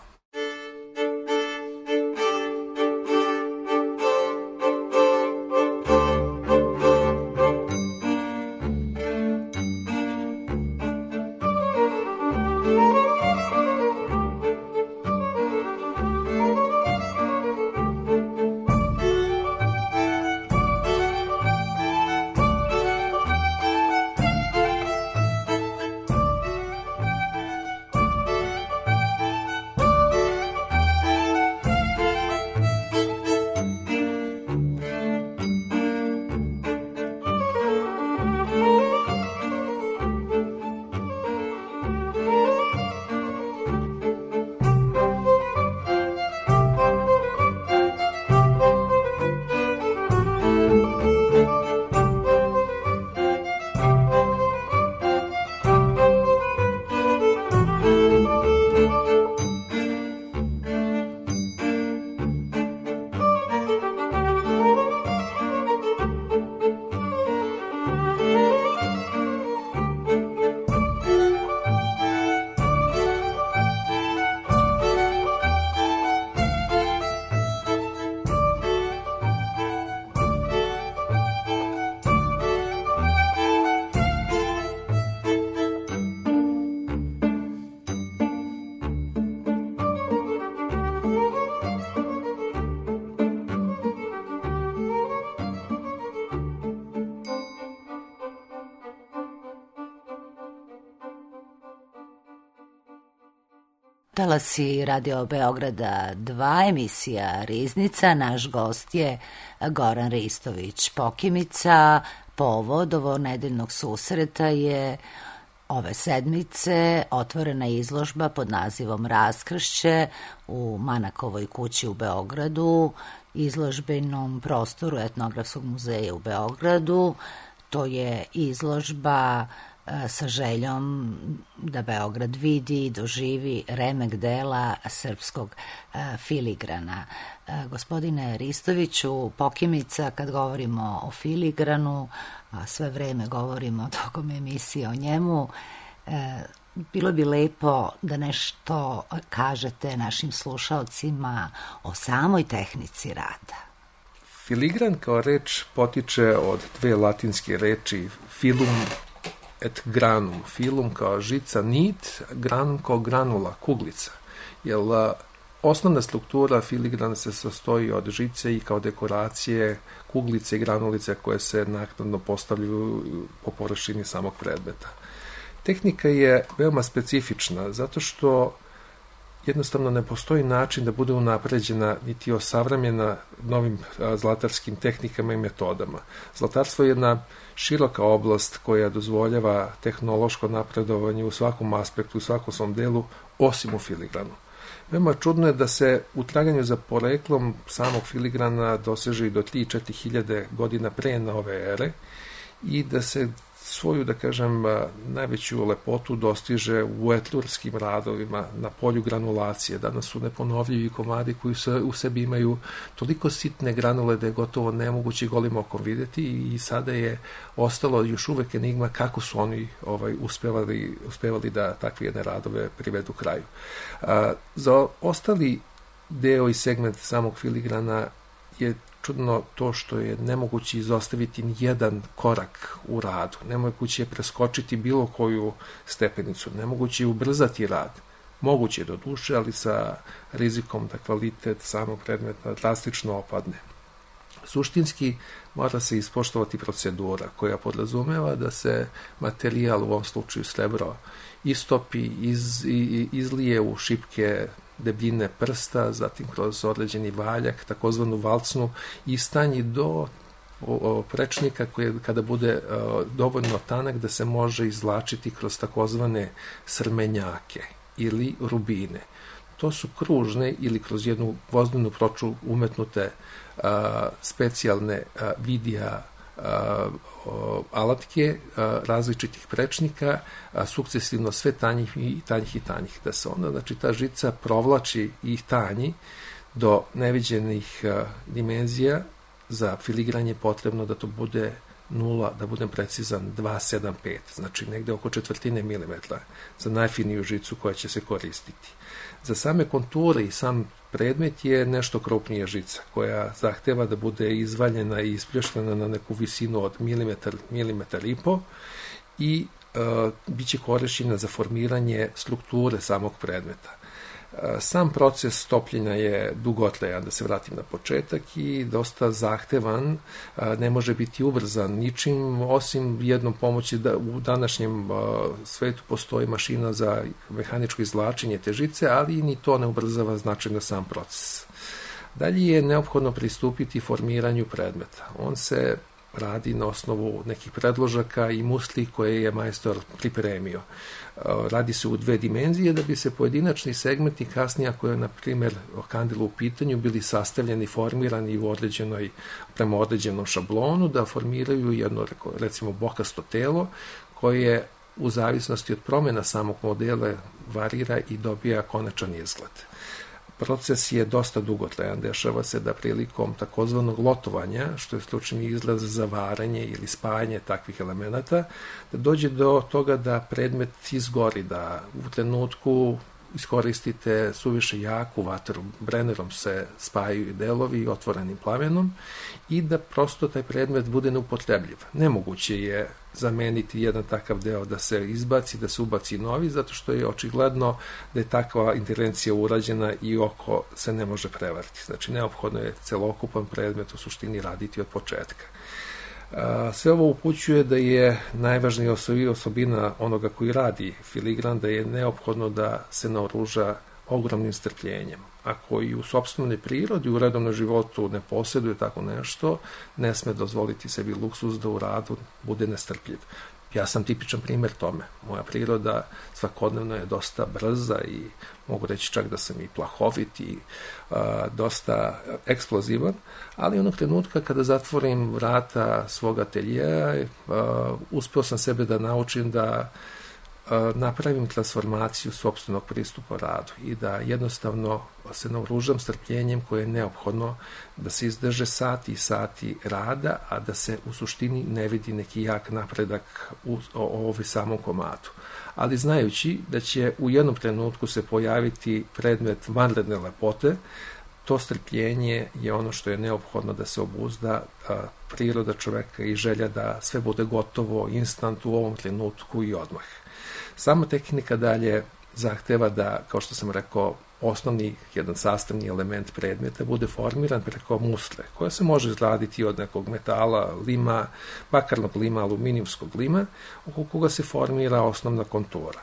Talasi Radio Beograda 2, emisija Riznica. Naš gost je Goran Ristović Pokimica. Povod ovog nedeljnog susreta je ove sedmice otvorena izložba pod nazivom Raskršće u Manakovoj kući u Beogradu, izložbenom prostoru Etnografskog muzeja u Beogradu. To je izložba sa željom da Beograd vidi i doživi remek dela srpskog filigrana. Gospodine Ristoviću Pokimica, kad govorimo o filigranu, a sve vreme govorimo tokom emisije o njemu, bilo bi lepo da nešto kažete našim slušaocima o samoj tehnici rada. Filigran kao reč potiče od dve latinske reči filum et granum, filum kao žica, nit, granum kao granula, kuglica. Jer osnovna struktura filigrana se sastoji od žice i kao dekoracije kuglice i granulice koje se naknadno postavljaju po površini samog predmeta. Tehnika je veoma specifična zato što jednostavno ne postoji način da bude unapređena niti osavremljena novim zlatarskim tehnikama i metodama. Zlatarstvo je jedna široka oblast koja dozvoljava tehnološko napredovanje u svakom aspektu, u svakom svom delu, osim u filigranu. Veoma čudno je da se u traganju za poreklom samog filigrana doseže i do 3-4 hiljade godina pre nove ere i da se svoju, da kažem, najveću lepotu dostiže u etlurskim radovima na polju granulacije. Danas su neponovljivi komadi koji u sebi imaju toliko sitne granule da je gotovo nemoguće golim okom videti i sada je ostalo još uvek enigma kako su oni uspevali da takve jedne radove privedu kraju. Za ostali deo i segment samog filigrana je čudno to što je nemoguće izostaviti nijedan korak u radu, nemoguće je preskočiti bilo koju stepenicu, nemoguće je ubrzati rad. Moguće je do duše, ali sa rizikom da kvalitet samog predmeta drastično opadne. Suštinski mora se ispoštovati procedura koja podrazumeva da se materijal, u ovom slučaju srebro, istopi, izlije u šipke debljine prsta, zatim kroz određeni valjak, takozvanu valcnu, istanji do prečnika koji kada bude dovoljno tanak da se može izvlačiti kroz takozvane srmenjake ili rubine. To su kružne ili kroz jednu gvozdenu ploču umetnute specijalne vidija alatke različitih prečnika, sukcesivno sve tanjih i tanjih i tanjih, da se onda, znači, ta žica provlači i tanji do neviđenih dimenzija. Za filigranje potrebno da to bude 0, da budem precizan, 2,75, znači negde oko četvrtine milimetra za najfiniju žicu koja će se koristiti. Za same konture i sam predmet je nešto krupnija žica koja zahteva da bude izvaljena i isplještena na neku visinu od milimetar i po i bit će korišćena za formiranje strukture samog predmeta. Sam proces topljenja je dugotrajan, da se vratim na početak, i dosta zahtevan, ne može biti ubrzan ničim, osim jednom pomoći da u današnjem svetu postoji mašina za mehaničko izvlačenje te žice, ali ni to ne ubrzava značajno sam proces. Dalje je neophodno pristupiti formiranju predmeta. On se radi na osnovu nekih predložaka i musli koje je majstor pripremio. Radi se u 2 dimenzije da bi se pojedinačni segmenti kasnije, ako je, na primjer, kandila u pitanju, bili sastavljeni, formirani prema određenom šablonu, da formiraju jedno, recimo, bokasto telo koje u zavisnosti od promjena samog modela varira i dobija konačan izgled. Proces je dosta dugotrajan, dešava se da prilikom takozvanog lotovanja, što je stručni izraz za varanje ili spajanje takvih elemenata, da dođe do toga da predmet izgori, da u trenutku iskoristite suviše jaku vatru, brenerom se spajaju delovi otvorenim plamenom i da prosto taj predmet bude neupotrebljiv. Nemoguće je zameniti jedan takav deo, da se izbaci, da se ubaci novi, zato što je očigledno da je takva intervencija urađena i oko se ne može prevariti. Znači, neophodno je celokupan predmet u suštini raditi od početka. Sve ovo upućuje da je najvažnija osobina onoga koji radi filigran, da je neophodno da se naoruža ogromnim strpljenjem. Ako i u sopstvenoj prirodi, u redovnom životu ne posjeduje tako nešto, ne sme dozvoliti sebi luksuz da u radu bude nestrpljiv. Ja sam tipičan primjer tome. Moja priroda svakodnevno je dosta brza i mogu reći čak da sam i plahovit i dosta eksplozivan, ali onog trenutka kada zatvorim vrata svog ateljeja, uspeo sam sebe da naučim da napravim transformaciju sopstvenog pristupa radu i da jednostavno se naoružam strpljenjem koje je neophodno da se izdrže sati i sati rada, a da se u suštini ne vidi neki jak napredak u ovoj samom komadu. Ali znajući da će u jednom trenutku se pojaviti predmet vanredne lepote, to strpljenje je ono što je neophodno da se obuzda priroda čoveka i želja da sve bude gotovo instant u ovom trenutku i odmah. Sama tehnika dalje zahteva da, kao što sam rekao, osnovni jedan sastavni element predmeta bude formiran preko musle, koja se može izraditi od nekog metala, lima, bakarnog lima, aluminijumskog lima, oko koga se formira osnovna kontura.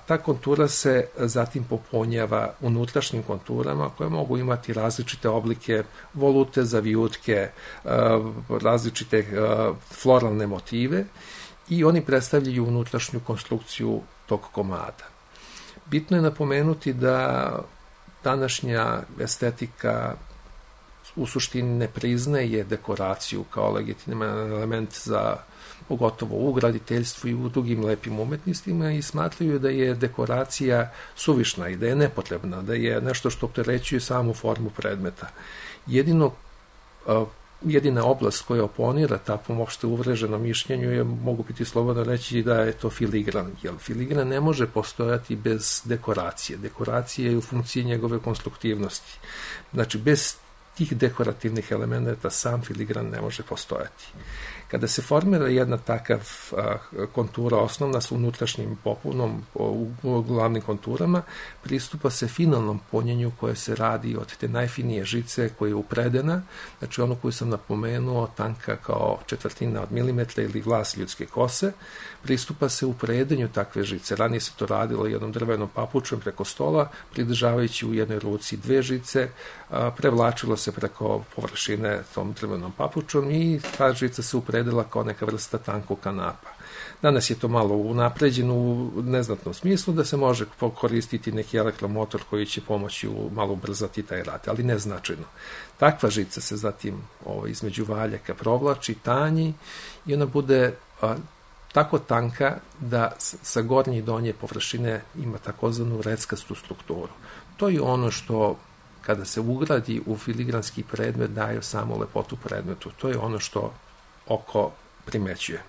Ta kontura se zatim popunjava unutrašnjim konturama koje mogu imati različite oblike, volute, zavijutke, različite floralne motive, i oni predstavljaju unutrašnju konstrukciju tog komada. Bitno je napomenuti da današnja estetika u suštini ne priznaje dekoraciju kao legitiman element za pogotovo u graditeljstvu i u drugim lepim umetnostima i smatraju da je dekoracija suvišna i da je nepotrebna, da je nešto što opterećuje samu formu predmeta. Jedina oblast koja oponira takvom opšte uvreženom mišljenju je, mogu biti slobodno reći, da je to filigran. Jer filigran ne može postojati bez dekoracije. Dekoracija je u funkciji njegove konstruktivnosti. Znači, bez tih dekorativnih elementa sam filigran ne može postojati. Kada se formira jedna takav kontura osnovna sa unutrašnjim popunom u glavnim konturama, pristupa se finalnom punjenju koje se radi od te najfinije žice koja je upredena, znači ono koju sam napomenuo, tanka kao četvrtina od milimetra ili vlas ljudske kose, pristupa se u predenju takve žice. Ranije se to radilo jednom drvenom papučom preko stola, pridržavajući u jednoj ruci dve žice, prevlačilo se preko površine tom drvenom papučom i ta žica se upredila kao neka vrsta tankog kanapa. Danas je to malo unapređeno u neznatnom smislu da se može koristiti neki elektromotor koji će pomoći malo ubrzati taj rad, ali neznačajno. Takva žica se zatim između valjaka provlači, tanji i ona bude tako tanka da sa gornje i donje površine ima takozvanu reckastu strukturu. To je ono što kada se ugradi u filigranski predmet daje samo lepotu predmetu. To je ono što oko primećuje.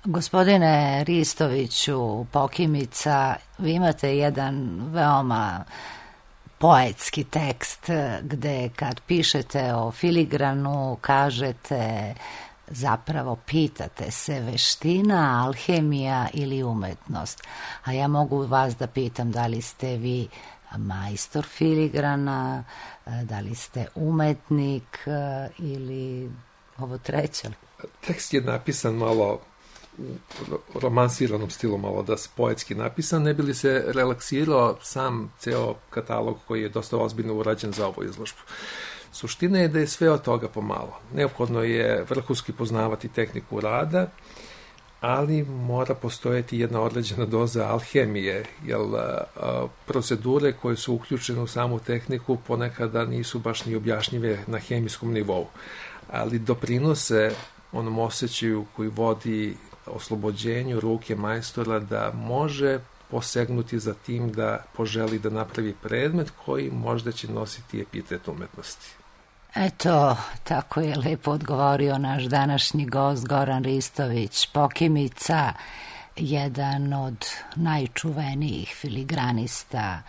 Gospodine Ristoviću, Pokimica, vi imate jedan veoma poetski tekst gde kad pišete o filigranu kažete, zapravo pitate se veština, alhemija ili umetnost. A ja mogu vas da pitam da li ste vi majstor filigrana, da li ste umetnik ili ovo treće? Tekst je napisan malo u romansiranom stilu, malo da se poetski napisan, ne bi li se relaksirao sam ceo katalog koji je dosta ozbiljno urađen za ovu izložbu. Suština je da je sve od toga pomalo. Neophodno je vrhunski poznavati tehniku rada, ali mora postojati jedna određena doza alhemije, jer procedure koje su uključene u samu tehniku ponekada nisu baš ni objašnjive na hemijskom nivou, ali doprinose onom osjećaju koji vodi oslobođenju ruke majstora da može posegnuti za tim da poželi da napravi predmet koji možda će nositi epitet umetnosti. Eto, tako je lepo odgovorio naš današnji gost Goran Ristović, Pokimica, jedan od najčuvenijih filigranista,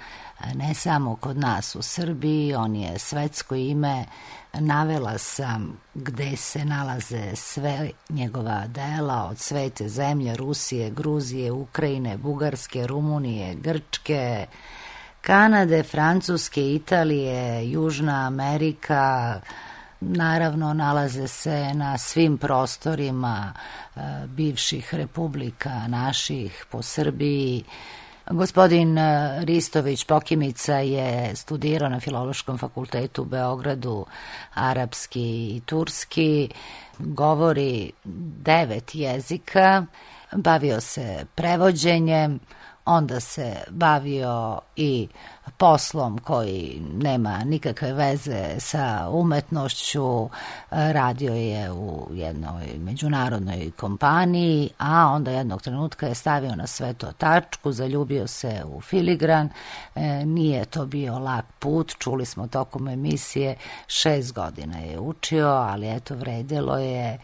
ne samo kod nas u Srbiji, on je svetsko ime. Navela sam gde se nalaze sve njegova dela od Svete zemlje, Rusije, Gruzije, Ukrajine, Bugarske, Rumunije, Grčke, Kanade, Francuske, Italije, Južna Amerika. Naravno, nalaze se na svim prostorima bivših republika naših po Srbiji. Gospodin Ristović Pokimica je studirao na Filološkom fakultetu u Beogradu arapski i turski, govori 9 jezika, bavio se prevođenjem, onda se bavio i poslom koji nema nikakve veze sa umetnošću, radio je u jednoj međunarodnoj kompaniji, a onda jednog trenutka je stavio na sve to tačku, zaljubio se u filigran, nije to bio lak put, čuli smo tokom emisije, 6 godina je učio, ali eto vredilo je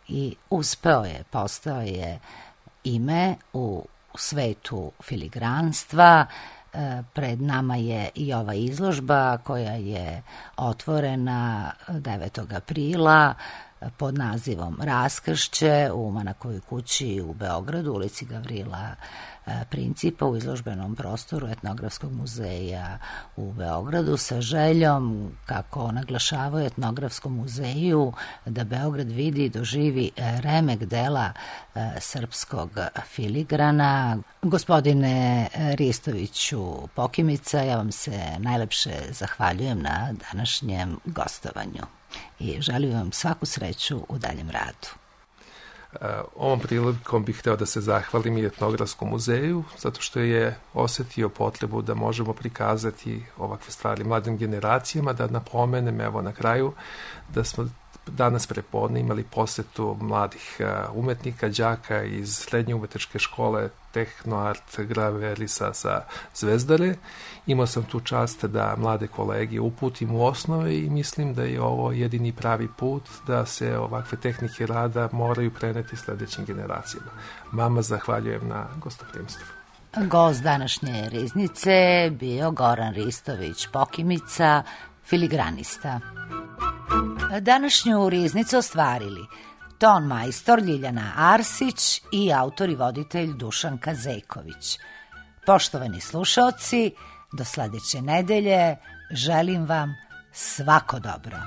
i uspeo je, postao je ime u svetu filigranstva. Pred nama je i ova izložba koja je otvorena 9. aprila pod nazivom Raskršće u Manakovoj kući u Beogradu, ulici Gavrila Principa, u izložbenom prostoru Etnografskog muzeja u Beogradu, sa željom, kako naglašavaju Etnografskom muzeju, da Beograd vidi i doživi remek dela srpskog filigrana. Gospodine Ristoviću Pokimica, ja vam se najlepše zahvaljujem na današnjem gostovanju i želim vam svaku sreću u daljem radu. Ovom prilikom bih hteo da se zahvalim i Etnografskom muzeju, zato što je osetio potrebu da možemo prikazati ovakve stvari mladim generacijama, da napomenem evo na kraju da smo danas prepodne imali posetu mladih umetnika, đaka iz srednje umetničke škole Tehnoart Graverisa sa Zvezdare. Imao sam tu čast da mlade kolege uputim u osnove i mislim da je ovo jedini pravi put da se ovakve tehnike rada moraju preneti sledećim generacijama. Vama zahvaljujem na gostoprimstvu. Gost današnje riznice bio Goran Ristović Pokimica, filigranista. Današnju riznicu ostvarili ton majstor Ljiljana Arsić i autor i voditelj Dušan Kazeković. Poštovani slušaoci, do sledeće nedelje želim vam svako dobro.